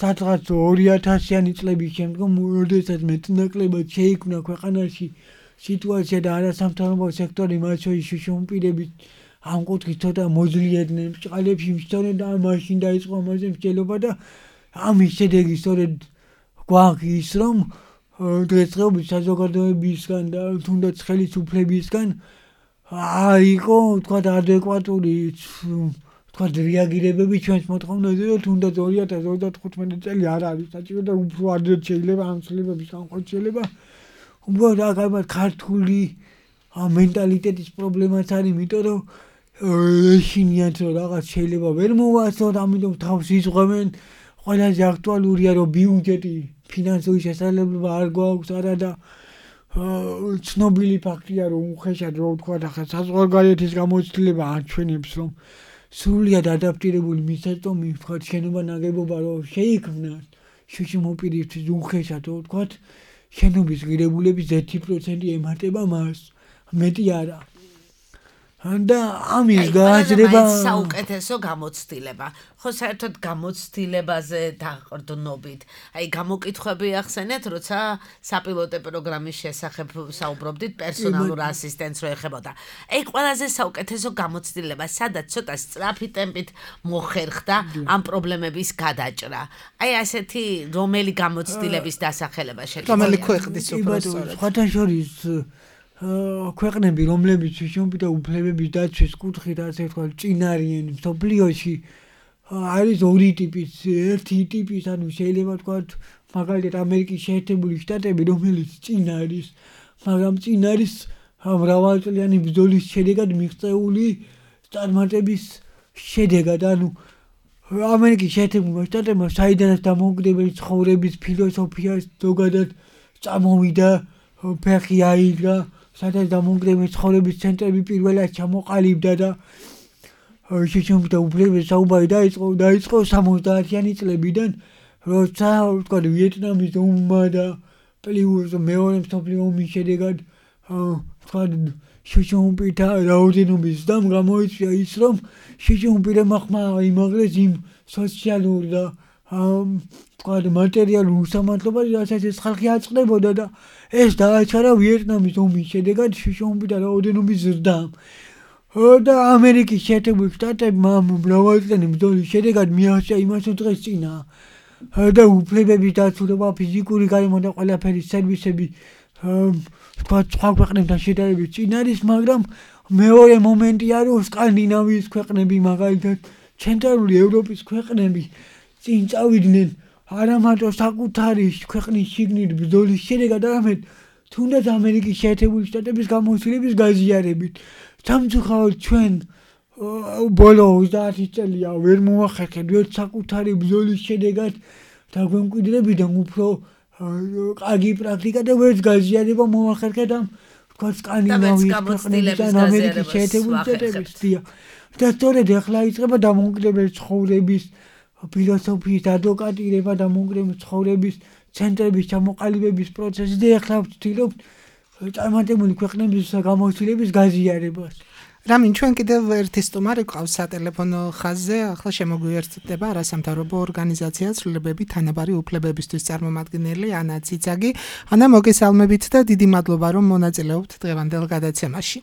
სადღაც ორი ათასიანი წლების შემდგომ, როდესაც მეტნაკლებად შეიქმნა ქვეყანაში სიტუაცია და არასამთავრობო სექტორი, მათ შორის შუშუმპირები ამ კუთხით ცოტა მოძლიედნენ, ბრჭყალებში მსჯელობდნენ და მაშინ დაიწყო ამაზე მსჯელობა და ამის შედეგი სწორედ გვაქვს ის, რომ დღესდღეობით საზოგადოებისგან და თუნდაც ხელისუფლებისგან აიყო, თქვათ, ადეკვატური, თქვათ, რეაგირებები ჩვენს მოთხოვნებზე, რომ თუნდაც ორი ათას ოცდათხუთმეტი წელი არ არის საჭირო და უფრო ადრე შეიძლება ამ ცვლილებების განხორციელება. უბრალოდ აქ ალბათ ქართული მენტალიტეტის პრობლემაც არის, იმიტომ რომ ეშინიათ, რომ რაღაც შეიძლება ვერ მოვასწროთ, ამიტომ თავს იზღვევენ. ყველაზე აქტუალურია, რომ ბიუჯეტი, ფინანსური შესაძლებლობა არ გვაქვს არა და ცნობილი ფაქტია, რომ უხეშად რო ვთქვა ახლა საზღვარგარეთის გამოცდილება აჩვენებს, რომ სრულიად ადაპტირებული მისაწვდომი ვთქვა შენობა ნაგებობა რო შეიქმნა შუშუმპირისთვის უხეშად რო ვთქვა შენობის ღირებულების ერთი პროცენტი ემატება მას, მეტი არა. და ამის გააზრება საუკეთესო გამოცდილება. ხო, საერთოდ გამოცდილებაზე დაყრდნობით. აი, გამოკითხვები ახსენეთ, როცა საპილოტო პროგრამის შესახებ საუბრობდით, პერსონალურ ასისტენტს რო ეხებოდა. აი, ყველაზე საუკეთესო გამოცდილება, სადაც ცოტა სწრაფი ტემპით მოხერხდა ამ პრობლემების გადაჭრა. აი, ასეთი რომელი გამოცდილების დასახელება შეგვიძლია? რომელი ქვეყნის უბრალოდ სხვათა შორის ქვეყნები, რომლებიც შეშობილთა უფლებების დაცვის კუთხით, ასე ვთქვათ, წინ არიან მსოფლიოში, არის ორი ტიპის, ერთი ტიპის, ანუ შეიძლება ვთქვათ, მაგალითად ამერიკის შეერთებული შტატები, რომელიც წინ არის, მაგრამ წინ არის მრავალწლიანი ბრძოლის შედეგად მიღწეული წარმატების შედეგად, ანუ ამერიკის შეერთებულმა შტატებმა საიდანაც დამოუკიდებელი ცხოვრების ფილოსოფია ზოგადად წამოვიდა, ფეხი აიდგა, სადაც დამოუკიდებელი ცხოვრების ცენტრები პირველად ჩამოყალიბდა და შეშობილთა უფლებების საუბარი დაიწყო დაიწყო სამოცდაათიანი წლებიდან, როცა ვთქვათ ვიეტნამის ომმა და პლუს მეორე მსოფლიო ომის შედეგად ვთქვათ შეშობილთა რაოდენობის ზრდამ გამოიწვია ის, რომ შეშობილებმა ხმა იმაღლეს იმ სოციალურ და ვთქვათ მატერიალურ უსამართლობას, რასაც ეს ხალხი აწყდებოდა და ეს დააჩარა ვიეტნამის ომის შედეგად შეშობილთა რაოდენობის ზრდამ. და ამერიკის შეერთებული შტატებმა მრავალწლიანი ბრძოლის შედეგად მიაღწია იმას, რომ დღეს წინა და უფლებების დაცულობა, ფიზიკური გარემო და ყველაფერი სერვისები ვთქვათ სხვა ქვეყნებთან შედარებით წინ არის, მაგრამ მეორე მომენტია, რომ სკანდინავიის ქვეყნები, მაგალითად ცენტრალური ევროპის ქვეყნები წინ წავიდნენ არა მარტო საკუთარი ქვეყნის შიგნით ბრძოლის შედეგად, არამედ თუნდაც ამერიკის შეერთებული შტატების გამოცდილების გაზიარებით. სამწუხაროდ ჩვენ ბოლო ოცდაათი წელია ვერ მოვახერხებთ საკუთარი ბრძოლის შედეგად დაგვემკვიდრებიდან უფრო კარგი პრაქტიკა და ვერც გაზიარება მოვახერხეთ ამ ვთქვათ სკანდინავიის ქვეყნების და ამერიკის შეერთებული შტატების. და სწორედ ახლა იწყება დამოუკიდებელი ცხოვრების ფილოსოფიის ადვოკატირება, დამოუკიდებელი ცხოვრების ცენტრების ჩამოყალიბების პროცესი და ახლა ვცდილობთ წარმატებული ქვეყნების გამოცდილების გაზიარებას. რამინ, ჩვენ კიდევ ერთი სტუმარი გვყავს სატელეფონო ხაზზე, ახლა შემოგვიერთდება არასამთავრობო ორგანიზაცია ცვლილებები თანაბარი უფლებებისთვის წარმომადგენელი ანა ციცაგი. ანა, მოგესალმებით და დიდი მადლობა, რომ მონაწილეობთ დღევანდელ გადაცემაში.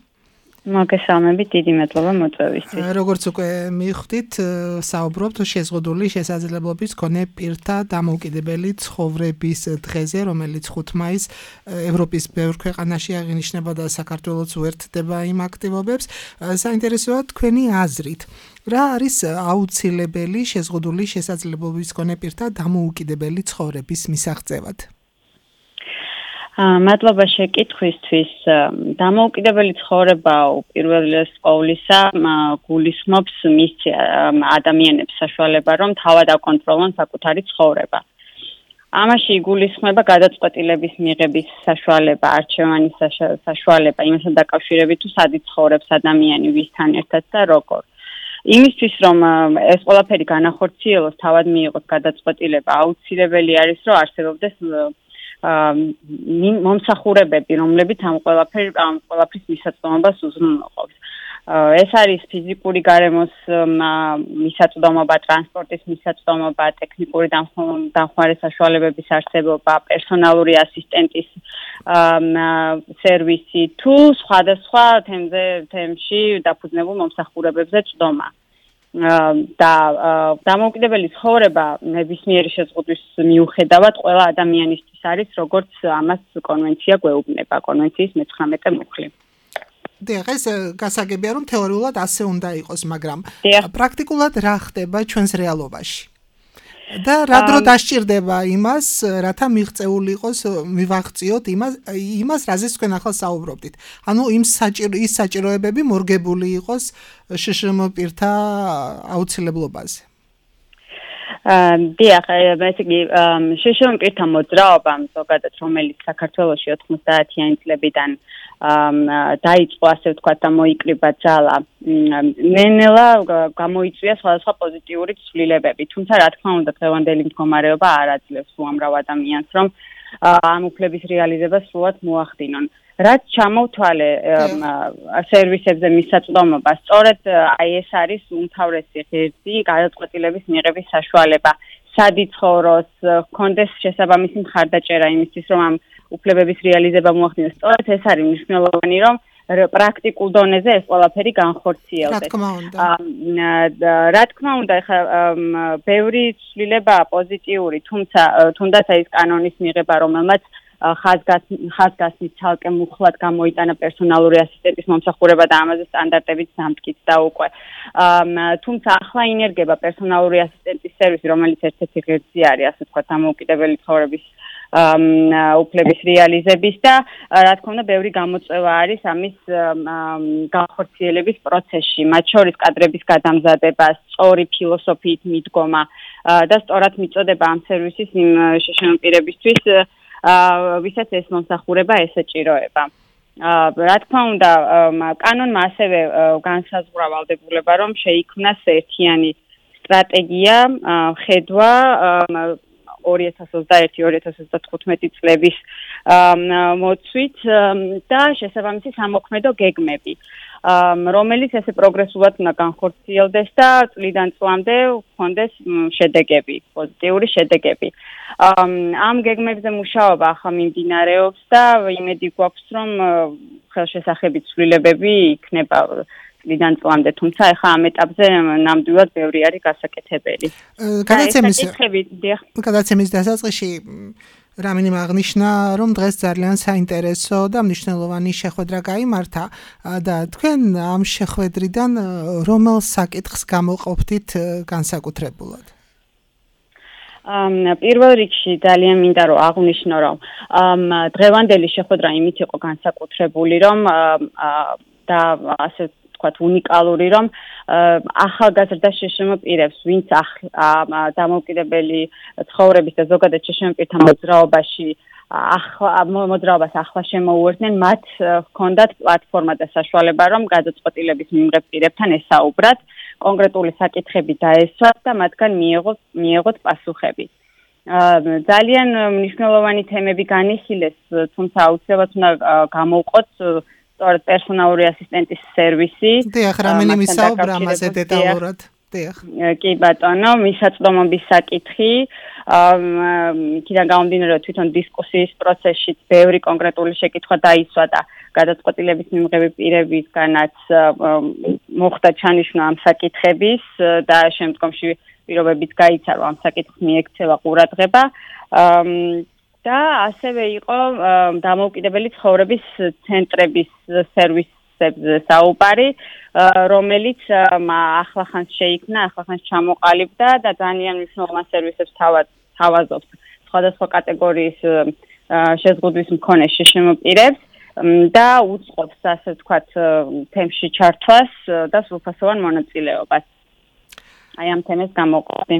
მოგესალმებით, დიდი მადლობა მოწვევისთვის. როგორც უკვე მიხვდით, საუბრობთ შეზღუდული შესაძლებლობის მქონე პირთა დამოუკიდებელი ცხოვრების დღეზე, რომელიც ხუთი მაისს ევროპის ბევრ ქვეყანაში აღინიშნება და საქართველოც უერთდება იმ აქტივობებს. საინტერესოა თქვენი აზრით, რა არის აუცილებელი შეზღუდული შესაძლებლობის მქონე პირთა დამოუკიდებელი ცხოვრების მისაღწევად? მადლობა შეკითხვისთვის. დამოუკიდებელი ცხოვრება უპირველეს ყოვლისა გულისხმობს მის ადამიანებს საშუალება, რომ თავად აკონტროლონ საკუთარი ცხოვრება. ამაში იგულისხმება გადაწყვეტილების მიღების საშუალება, არჩევანის საშუალება, იმასთან დაკავშირებით თუ სად იცხოვრებს ადამიანი, ვისთან ერთად და როგორ. იმისთვის, რომ ეს ყველაფერი განახორციელოს, თავად მიიღოს გადაწყვეტილება, აუცილებელი არის, რომ არსებობდეს მომსახურებები, რომლებიც ამ ყველაფერ ამ ყველაფრის მისაწვდომობას უზრუნველყოფს. ეს არის ფიზიკური გარემოს მისაწვდომობა, ტრანსპორტის მისაწვდომობა, ტექნიკური დამხმარე საშუალებების არსებობა, პერსონალური ასისტენტის სერვისი თუ სხვადასხვა თემზე თემში დაფუძნებულ მომსახურებებზე წვდომა. და დამოუკიდებელი ცხოვრება ნებისმიერი შეზღუდვის მიუხედავად ყველა ადამიანისთვის არის, როგორც ამას კონვენცია გვეუბნება, კონვენციის მეცხრამეტე მუხლი. დიახ, ეს გასაგებია, რომ თეორიულად ასე უნდა იყოს, მაგრამ პრაქტიკულად რა ხდება ჩვენს რეალობაში? და რა დრო დასჭირდება იმას, რათა მიღწეული იყოს, მივაღწიოთ იმას, იმას, რაზეც თქვენ ახლა საუბრობდით. ანუ იმ საჭირო ის საჭიროებები მორგებული იყოს შშმ პირთა აუცილებლობაზე. დიახ, ესე იგი, შშმ პირთა მოძრაობამ ზოგადად, რომელიც საქართველოში ოცდაათიანი წლებიდან დაიწყო, ასე ვთქვათ, და მოიკრიბა ძალა, ნენელა გამოიწვია სხვადასხვა პოზიტიური ცვლილებები. თუმცა, რა თქმა უნდა, დღევანდელი მდგომარეობა არ აძლევს უამრავ ადამიანს, რომ ამ უფლების რეალიზებას სრულად მოახდინონ. რაც ჩამოვთვალე სერვისებზე მისაწვდომობა, სწორედ აი ეს არის უმთავრესი ღირსი გადაწყვეტილების მიღების საშუალება. სად იცხოვროს, ჰქონდეს შესაბამისი მხარდაჭერა იმისთვის, რომ ამ უფლებების რეალიზება მოახდინოს. სწორედ ეს არის მნიშვნელოვანი, რომ პრაქტიკულ დონეზე ეს ყველაფერი განხორციელდეს. რა თქმა უნდა. რა თქმა უნდა, ეხლა ბევრი ცვლილებაა პოზიტიური, თუმცა თუნდაც ეს კანონის მიღება, რომელმაც ხაზგასმით ცალკე მუხლად გამოიტანა პერსონალური ასისტენტის მომსახურება და ამაზე სტანდარტებით დამტკიცდა უკვე. თუმცა ახლა ინერგება პერსონალური ასისტენტის სერვისი, რომელიც ერთ-ერთი ღირსი არის, ასე ვთქვათ, დამოუკიდებელი ცხოვრების უფლების რეალიზების და რა თქმა უნდა ბევრი გამოწვევა არის ამის განხორციელების პროცესში, მათ შორის კადრების გადამზადება, სწორი ფილოსოფიით მიდგომა და სწორად მიწოდება ამ სერვისის იმ შეშინო პირებისთვის, ვისაც ეს მომსახურება ესეჭიროება. რა თქმა უნდა, კანონმა ასევე განსაზღვრა ვალდებულება, რომ შეიქმნას ერთიანი სტრატეგია, ხედვა ორი ათას ოცდაერთი ორი ათას ოცდათხუთმეტი წლების მოცვით და შესაბამისი სამოქმედო გეგმები, რომელიც ესე პროგრესულად უნდა განხორციელდეს და წლიდან წლამდე ჰქონდეს შედეგები, პოზიტიური შედეგები. ამ გეგმებზე მუშაობა ახლა მიმდინარეობს და იმედი გვაქვს, რომ ხელშესახებით ცვლილებები იქნება წლიდან წლამდე, თუმცა ახლა ამ ეტაპზე ნამდვილად ბევრი არის გასაკეთებელი. გადაცემის დასაწყისში რამინიმ აღნიშნა, რომ დღეს ძალიან საინტერესო და მნიშვნელოვანი შეხვედრა გაიმართა და თქვენ ამ შეხვედრიდან რომელ საკითხს გამოყოფთით განსაკუთრებულად? პირველ რიგში ძალიან მინდა რომ აღვნიშნო, რომ დღევანდელი შეხვედრა იმით იყო განსაკუთრებული, რომ და ასე ვთქვათ უნიკალური, რომ ახალგაზრდა შეშინო პირებს, ვინც დამოუკიდებელი ცხოვრების და ზოგადად შეშინო პირთა მოძრაობაში მოძრაობას ახლა შემოუერთდნენ, მათ ჰქონდათ პლატფორმა და საშუალება, რომ გადაწყვეტილების მიმღებ პირებთან ესაუბრათ, კონკრეტული საკითხები დაესვათ და მათგან მიეღოთ პასუხები. ძალიან მნიშვნელოვანი თემები განიხილეს, თუმცა აუცილებლად უნდა გამოვყოთ სწორედ პერსონალური ასისტენტის სერვისი. დიახ, რამინიმ ისაუბრა ამაზე დეტალურად. დიახ. კი ბატონო, მისაწვდომობის საკითხი, იქიდან გამომდინარე, რომ თვითონ დისკუსიის პროცესში ბევრი კონკრეტული შეკითხვა დაისვა და გადაწყვეტილების მიმღები პირებისგანაც მოხდა ჩანიშვნა ამ საკითხების და შემდგომში პირობებით გაიცა, რომ ამ საკითხს მიექცევა ყურადღება. და ასევე იყო დამოუკიდებელი ცხოვრების ცენტრების სერვისებზე საუბარი, რომელიც ახლახანს შეიქმნა, ახლახანს ჩამოყალიბდა და ძალიან მნიშვნელოვან სერვისებს თავაზობს სხვადასხვა კატეგორიის შეზღუდვის მქონე შეშინო პირებს და უწყობს, ასე ვთქვათ, თემში ჩართვას და სრულფასოვან მონაწილეობას. აი ამ თემას გამოყოფდი.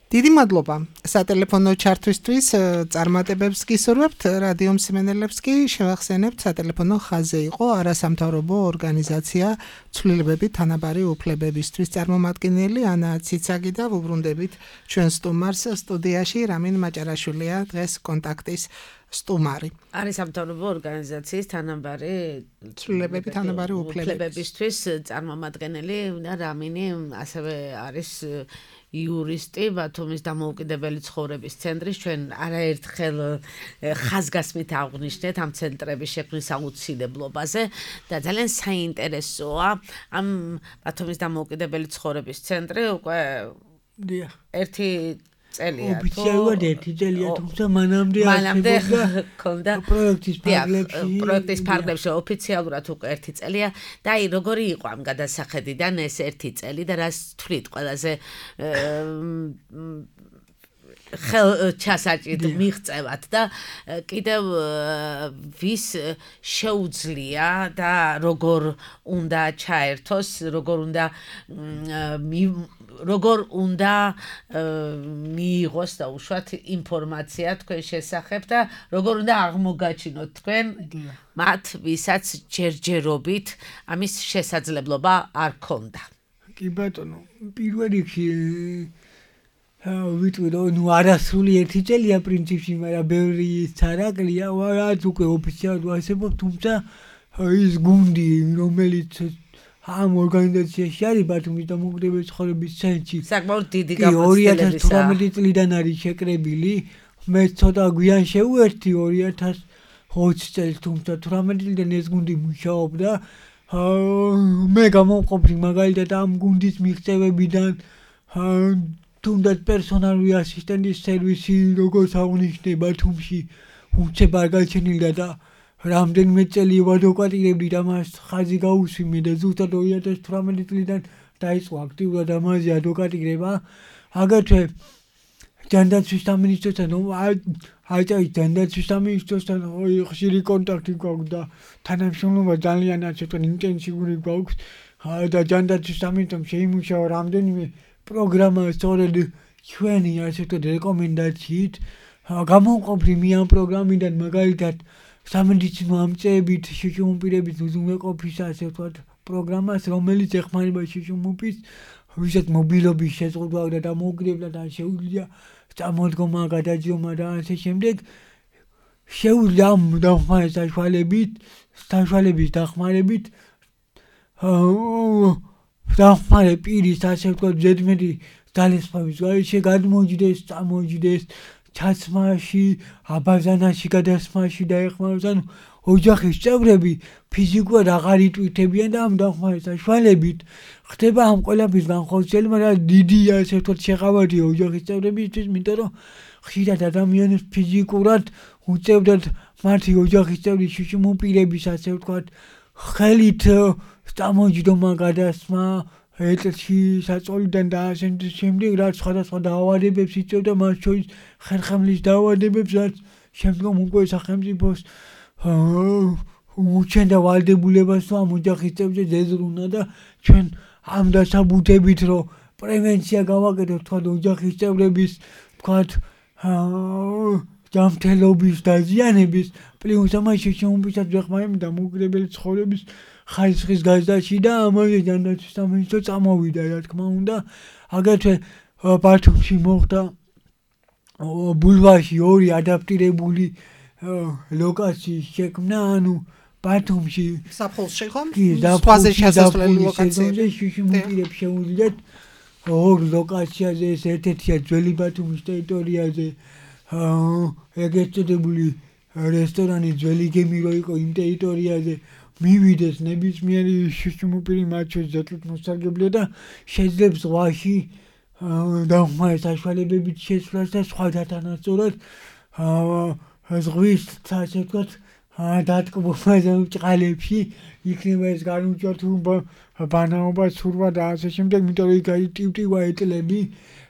დიდი მადლობა სატელეფონო ჩართვისთვის, წარმატებებს გისურვებთ, რადიო მსმენელებს კი შევახსენებთ, სატელეფონო ხაზზე იყო არასამთავრობო ორგანიზაცია ცვლილებები თანაბარი უფლებებისთვის წარმომადგენელი ანა ციცაგი და ვუბრუნდებით ჩვენ სტუმარს სტუდიაში, რამინ მაჭარაშვილია დღეს კონტაქტის სტუმარი. არასამთავრობო ორგანიზაციის თანაბარი ცვლილებები თანაბარი უფლებებისთვის წარმომადგენელი და რამინი ასევე არის იურისტი ბათუმის დამოუკიდებელი ცხოვრების ცენტრის. ჩვენ არაერთხელ ხაზგასმით აღვნიშნეთ ამ ცენტრების შექმნის აუცილებლობაზე და ძალიან საინტერესოა ამ ბათუმის დამოუკიდებელი ცხოვრების ცენტრი უკვე ერთი წელია თუ ოფიციალურად ერთი წელია, თუმცა მანამდე მანამდე ქონდა პროექტის ფარგლებში პროექტის ფარგლებში ოფიციალურად უკვე ერთი წელია და აი როგორი იყო ამ გადასახედიდან ეს ერთი წელი და რას თვლით ყველაზე ხელ ჩასაჭირთ მიღწევათ და კიდევ ვის შეუძლია და როგორ უნდა ჩაერთოს, როგორ უნდა როგორ უნდა მიიღოს და უშუალოდ ინფორმაცია თქვენ შესახებ და როგორ უნდა აღმოგაჩინოთ თქვენ მათ, ვისაც ჯერჯერობით ამის შესაძლებლობა არ ქონდა. კი ბატონო, პირველ რიგში ვიტყვი რომ ნუ არასრული ერთი წელია პრინციპში, მაგრამ ბევრი ცარაკლია, რაც უკვე ოფიციალურად ვასებობ, თუმცა ის გუნდი, რომელიც ამ ორგანიზაციაში არის ბათუმის დამოუკიდებელი ცხოვრების ცენტრში. საკმაოდ დიდი გამოცდილებისა. ორი ათას თვრამეტი წლიდან არის შეკრებილი. მე ცოტა გვიან შევუერთდი ორი ათას ოცი წელს, თუმცა თვრამეტი წლიდან ეს გუნდი მუშაობდა. მე გამომყოფი მაგალითად ამ გუნდის მიღწევებიდან თუნდაც პერსონალური ასისტენტის სერვისი როგორც აღნიშნე ბათუმში უცებ არ გაჩენილდა და რამდენიმე წელი ვადვოკატირებდი და მას ხაზი გაუსვიმე და ზუსტად ორი ათას თვრამეტი წლიდან დაიწყო აქტიურად ამაზე ადვოკატირება. აგრეთვე ჯანდაცვის სამინისტროსთან აიჭარის ჯანდაცვის სამინისტროსთან ხშირი კონტაქტი გვაქვს და თანამშრომლობა ძალიან ასე ვთქვათ ინტენსიური გვაქვს და ჯანდაცვის სამინისტრომ შეიმუშავა რამდენიმე პროგრამა სწორედ ჩვენი ასე ვთქვათ რეკომენდაციით. გამომყოფი მე ამ პროგრამიდან მაგალითად სამედიცინო ამწეებით შიშუმპირების უზრუნველყოფის ასე ვთქვათ პროგრამას, რომელიც ეხმარება შიშუმპის ვისაც მობილობის შეზღუდვა და დამოუკიდებლად არ შეუძლია წამოდგომა, გადაჯდომა და ასე შემდეგ. შეუძლია ამ დახმარების საშუალებით, საშუალების დახმარებით დახმარე პირის ასე ვთქვათ ზედმეტი ძალისხმევის გარეშე გადმოჯდეს, წამოჯდეს ჩაცმაში, აბაზანაში გადასმაში და ეხმაროს. ანუ ოჯახის წევრები ფიზიკურად აღარ იტვირთებიან და ამ დახმარების საშუალებით ხდება ამ ყველაფრის განხორციელება, მაგრამ დიდი ასე ვთქვათ შეღავადია ოჯახის წევრებისთვის, იმიტომ რომ ხშირად ადამიანებს ფიზიკურად უწევდათ მათი ოჯახის წევრის შიშუმპირების ასე ვთქვათ ხელით წამოჯდომა, გადასმა ეთერში საწოლიდან და ასე შემდეგ, რაც სხვადასხვა დაავადებებს იწვევდა, მათ შორის ხერხემლის დაავადებებს, რაც შემდგომ უკვე სახელმწიფოს უჩენდა ვალდებულებას, რომ ამ ოჯახის წევრზე ზეზრუნა და ჩვენ ამ დასაბუთებით, რომ პრევენცია გავაკეთოთ, თქვათ ოჯახის წევრების, თქვათ ჯანმრთელობის დაზიანების, პლუს ამაში შემომფიცად ვეხმარებთ დამოუკიდებელი ცხოვრების ხარისხის გაზრდაში და ამაზე ჯანდაცვის სამინისტრო წამოვიდა, რა თქმა უნდა. აგრეთვე ბათუმში მოხდა ბულვარში ორი ადაპტირებული ლოკაციის შექმნა, ანუ ბათუმში საფხულში ხო? სხვაზე შესასვლელი ლოკაციები შიშუმპირებს შეუძლიათ ორ ლოკაციაზე, ეს ერთ-ერთია ძველი ბათუმის ტერიტორიაზე, ეგრეთ წოდებული რესტორანი ძველი გემი რო იყო იმ ტერიტორიაზე მივიდეს ნებისმიერი შიშუმპირი მათ შორის ზეწით მოსარგებლია და შეძლებს ზღვაში დახმარების საშუალებებით შესვლას და სხვათა თანასწორად ზღვის ასე ვთქვათ დატკბობაზე ჭყალებში იქნება ეს განუჯართობა, ბანაობა, ცურვა და ასე შემდეგ, იმიტომ რომ იქ არის ტივტივა ეტლები,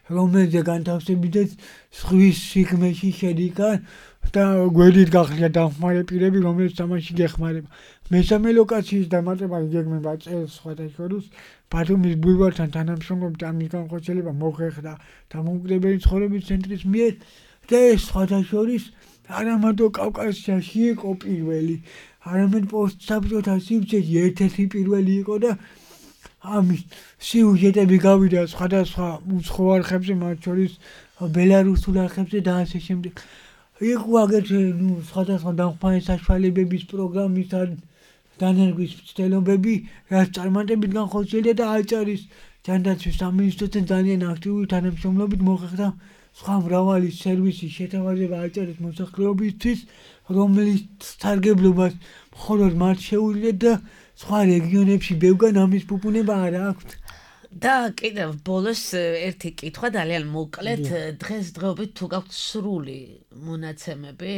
რომელზე განთავსებითაც ზღვის სიღრმეში შედიკა და გვერდით გახლია დახმარე პირები, რომელიც თამაში გეხმარება. მესამე ლოკაციის დამატება იგეგმება წელს სხვადასხვა ბათუმის ბულვართან თანამშრომლობით ამის განხორციელება მოხერხდა დამოუკიდებელი ცხოვრების ცენტრის მიერ და ეს სხვადასხვა არამარტო კავკასიაში იყო პირველი, არამედ პოსტსაბჭოთა სივრცეში ერთ-ერთი პირველი იყო და ამის სიუჟეტები გავიდა სხვადასხვა უცხო არხებზე, მათ შორის ბელარუსულ არხებზე და ასე შემდეგ. იყო აგრეთვე სხვადასხვა დახმარების საშუალებების პროგრამის დანერგვის მცდელობები, რაც წარმატებით განხორციელდა და აჭარის ჯანდაცვის სამინისტროსთან ძალიან აქტიური თანამშრომლობით მოხერხდა სხვა მრავალი სერვისის შეთავაზება აჭარის მოსახლეობისთვის, რომლის სარგებლობას მხოლოდ მათ შეუძლიათ და სხვა რეგიონებში ბევრგან ამის ფუფუნება არ აქვთ. და კიდევ ბოლოს ერთი კითხვა ძალიან მოკლედ, დღესდღეობით თუ გაქვთ სრული მონაცემები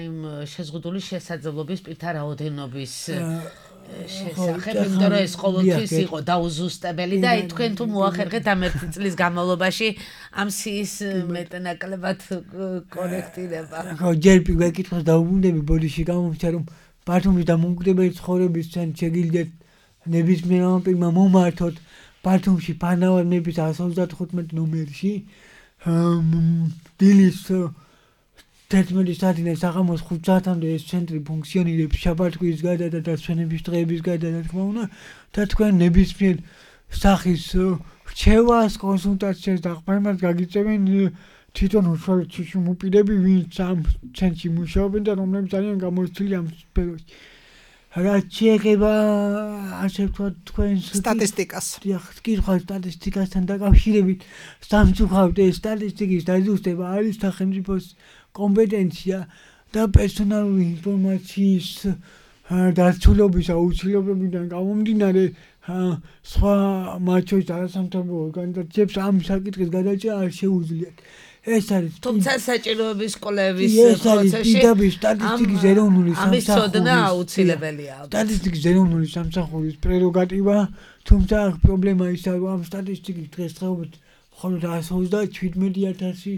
იმ შეზღუდული შესაძლებლობის პირთა რაოდენობის შესახებ, იმიტომ რომ ეს ყოველთვის იყო დაუზუსტებელი და თქვენ თუ მოახერხეთ ამ ერთი წლის განმავლობაში ამ სიის მეტნაკლებად კორექტირება. ხო, ჯერ პირველ კითხვას დაუბრუნდები ბოდიში გამომჩა რომ ბათუმის დამოუკიდებელი ცხოვრების ცენტრში შეგიძლიათ ნებისმიერმა პირმა მომართოთ ბათუმში ფანავარ მეფის εκατს ოცდათხუთმეტ ნომერში დილის თერთმეტი საათიდან საღამოს ხუთ საათამდე ეს ცენტრი ფუნქციონირებს შაბათ-კვირის გარდა და დასვენების დღეების გარდა, რა თქმა უნდა, და თქვენ ნებისმიერ სახის რჩევას, კონსულტაციას და ყმერმას გაგიწევენ თვითონ უშუალოდ შიშიმუპირები, ვინც ამ ცენტრში მუშაობენ და რომლებიც ძალიან გამოცდილი ამ სფეროში. რაც შეეხება ასე ვთქვათ თქვენს სტატისტიკას. დიახ, კითხვა სტატისტიკასთან დაკავშირებით სამწუხაროდ ეს სტატისტიკის დაზუსტება არის სახელმწიფოს კომპეტენცია და პერსონალური ინფორმაციის დაცულობის აუცილებლობიდან გამომდინარე სხვა მათ შორის არასამთავრობო ორგანიზაციებს ამ საკითხის გადაჭრა არ შეუძლიათ. ეს არის თუმცა საჭიროების კვლევის ეს არის პროცესში დიდების სტატისტიკის ეროვნული ამის ცოდნა სამსახურის აუცილებელია. სტატისტიკის ეროვნული სამსახურის პრეროგატივა, თუმცა აქ პრობლემა ისაა, რომ ამ სტატისტიკის დღესდღეობით მხოლოდ εκατს ოცდაშვიდმეტი ათასი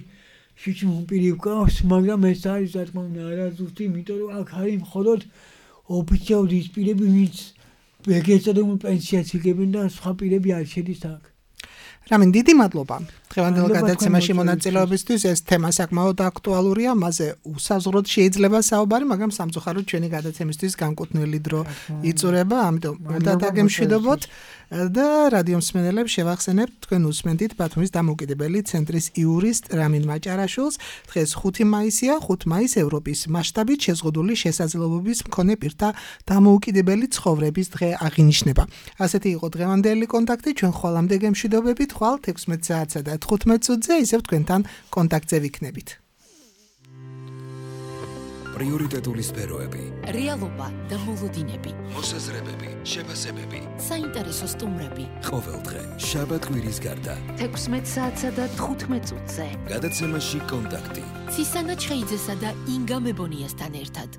შიშიმუპირი გვყავს, მაგრამ ეს არის რა თქმა უნდა არაზუსტი, იმიტომ რომ აქ არის მხოლოდ ოფიციალური ის პირები, ვინც ეგრეთწოდებული პენსიას იღებენ და სხვა პირები არ შედის აქ. რამინ დიდი მადლობა. დღევანდელ გადაცემაში მონაწილეობისთვის ეს თემა საკმაოდ აქტუალურია, მასზე უსაზღვროდ შეიძლება საუბარი, მაგრამ სამწუხაროდ ჩვენი გადაცემისთვის განკუთვნილი დრო იწურება, ამიტომ უნდა დაგემშვიდობოთ და რადიო მსმენელებს შევახსენებთ, თქვენ უსმენთ ბათუმის დამოუკიდებელი ცენტრის იურისტ რამინ მაჭარაშვილს. დღეს ხუთი მაისია, ხუთი მაისი ევროპის მასშტაბით შეზღუდული შესაძლებლობების მქონე პირთა დამოუკიდებელი ცხოვრების დღე აღინიშნება. ასეთი იყო დღევანდელი კონტაქტი, ჩვენ ხვალამდე გემშვიდობებით, ხვალ ექვსმეტ საათსა და თხუთმეტ წუთზე ისევ თქვენთან კონტაქტზე ვიქნებით. პრიორიტეტული სფეროები, რეალობა და მოლოდინები, მოსაზრებები, შეფასებები, საინტერესო სტუმრები. ყოველდღე შაბათ კვირის გარდა. ექვსმეტ საათსა და თხუთმეტ წუთზე. გადაცემაში კონტაქტი. ცისანა ჩხეიძესა და ინგა მებონიასთან ერთად.